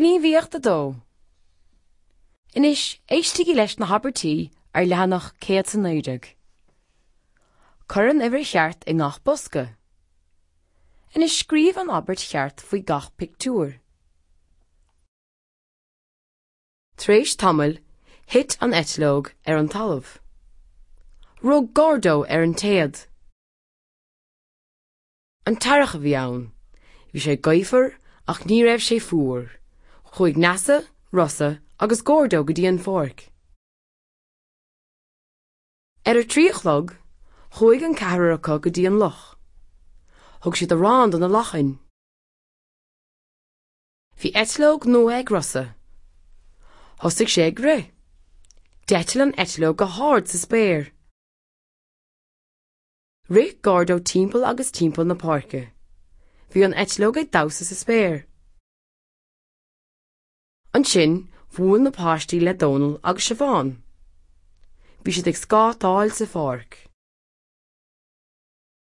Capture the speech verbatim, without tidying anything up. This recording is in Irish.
Gníomhaíocht a dó. Anois éistigí leis na habairtí ar leathanach céad is a naoi déag. Cuir an uimhir cheart i ngach bosca. Anois scríobh an abairt cheart faoi gach pictiúr. Tar éis tamaill, thit an eitleog ar an talamh. Rug Gordo ar an téad. An t-earrach a bhí ann. Bhí sé gaofar ach ní raibh sé fuar. Chuaigh Neasa, Rossa agus Gordo go dtí an pháirc. Ar a trí a chlog, chuaigh an ceathrar acu go dtí an loch. Thug siad arán do na lachain. Bhí eitleog nua ag Rossa. Thosaigh sé ag rith. D'eitil an eitleog go hard sa spéir. Rith Gordo timpeall agus timpeall na páirce. Bhí an eitleog ag damhsa sa spéir. Ansin bhuail na páistí le Dónal agus Siobhán. Bhí siad ag scátáil sa pháirc.